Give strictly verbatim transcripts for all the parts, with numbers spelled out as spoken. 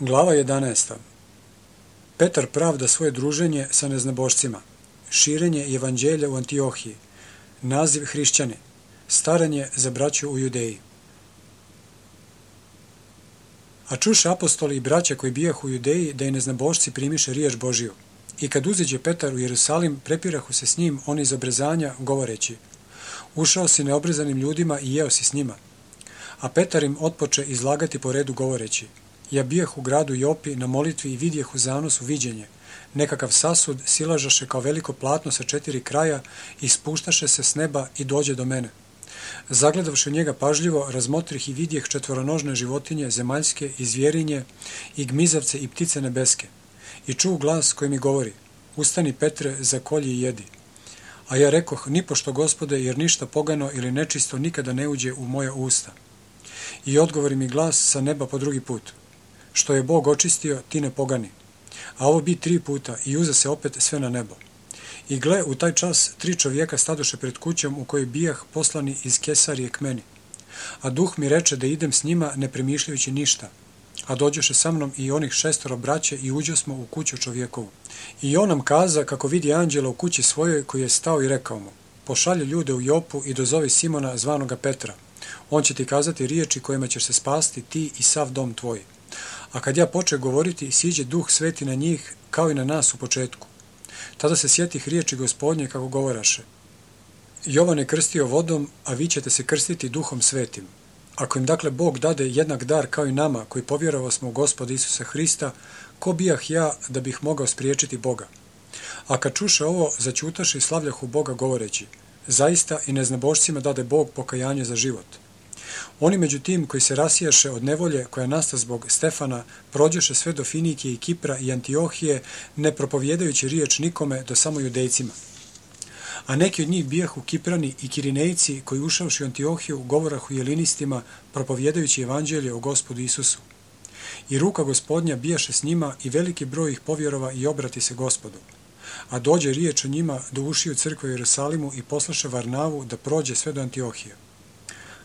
Glava jedanaesta. Petar pravda svoje druženje sa neznabošcima. Širenje evanđelja u Antiohiji. Naziv hrišćani. Staranje za braću u Judeji. A čuše apostoli i braća koji bijahu u Judeji da i neznabošci primiše riječ Božiju. I kad uziđe Petar u Jerusalim, prepirahu se s njim oni iz obrezanja, govoreći: Ušao si neobrezanim ljudima i jeo si s njima. A Petar im otpoče izlagati po redu govoreći: Ja bijah u gradu Jopi na molitvi i vidjeh u zanosu viđenje. Nekakav sasud silažaše kao veliko platno sa četiri kraja i spuštaše se s neba i dođe do mene. Zagledavši njega pažljivo, razmotrih i vidjeh četvoronožne životinje, zemaljske i zvjerinje, i gmizavce i ptice nebeske. I čuo glas koji mi govori: Ustani, Petre, zakolji i jedi. A ja rekoh: Nipošto, Gospode, jer ništa pogano ili nečisto nikada ne uđe u moja usta. I odgovori mi glas sa neba po drugi put: Što je Bog očistio, ti ne pogani. A ovo bi tri puta i uza se opet sve na nebo. I gle, u taj čas tri čovjeka stadoše pred kućom u kojoj bijah poslani iz Kesarije k meni. A duh mi reče da idem s njima ne premišljajući ništa. A dođoše sa mnom i onih šestoro braće i uđosmo u kuću čovjekovu. I on nam kaza kako vidi anđela u kući svojoj koji je stao i rekao mu: Pošalji ljude u Jopu i dozovi Simona zvanoga Petra. On će ti kazati riječi kojima ćeš se spasti ti i sav dom tvoj. A kad ja poče govoriti, siđe duh sveti na njih kao i na nas u početku. Tada se sjetih riječi Gospodnje kako govoraše: Jovan je krstio vodom, a vi ćete se krstiti duhom svetim. Ako im dakle Bog dade jednak dar kao i nama koji povjerovao smo u Gospoda Isusa Hrista, ko bijah ja da bih mogao spriječiti Boga? A kad čuše ovo, začutaše i slavljahu Boga govoreći: Zaista i neznabošcima dade Bog pokajanje za život. Oni među tim koji se rasijaše od nevolje koja nasta zbog Stefana prođeše sve do Finikije i Kipra i Antiohije, ne propovjedajući riječ nikome do samo Judejcima. A neki od njih bijahu Kiprani i Kirinejci koji ušavši u Antiohiju govorahu jelinistima propovjedajući evanđelje o Gospodu Isusu. I ruka Gospodnja bijaše s njima i veliki broj ih povjerova i obrati se Gospodu. A dođe riječ o njima do ušiju crkve u Jerusalimu i poslaše Varnavu da prođe sve do Antiohije.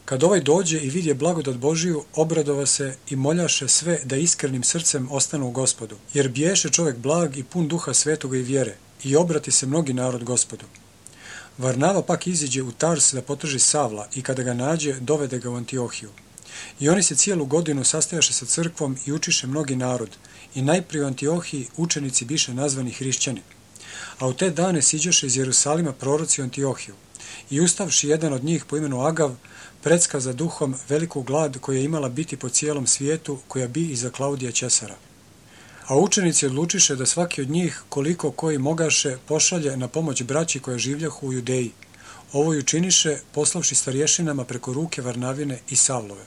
Kad ovaj dođe i vidje blagodat Božiju, obradova se i moljaše sve da iskrenim srcem ostanu u Gospodu, jer biješe čovjek blag i pun duha svetoga i vjere, i obrati se mnogi narod Gospodu. Varnava pak iziđe u Tars da potraži Savla i kada ga nađe, dovede ga u Antiohiju. I oni se cijelu godinu sastajaše sa crkvom i učiše mnogi narod, i najprije u Antiohiji učenici biše nazvani hrišćani. A u te dane siđoše iz Jerusalima proroci u Antiohiju, i ustavši jedan od njih po imenu Agav, predskaza duhom veliku glad koja je imala biti po cijelom svijetu, koja bi iza Klaudija Ćesara. A učenici odlučiše da svaki od njih, koliko koji mogaše, pošalje na pomoć braći koja življahu u Judeji. Ovo i učiniše, poslavši starješinama preko ruke Varnavine i Savlove.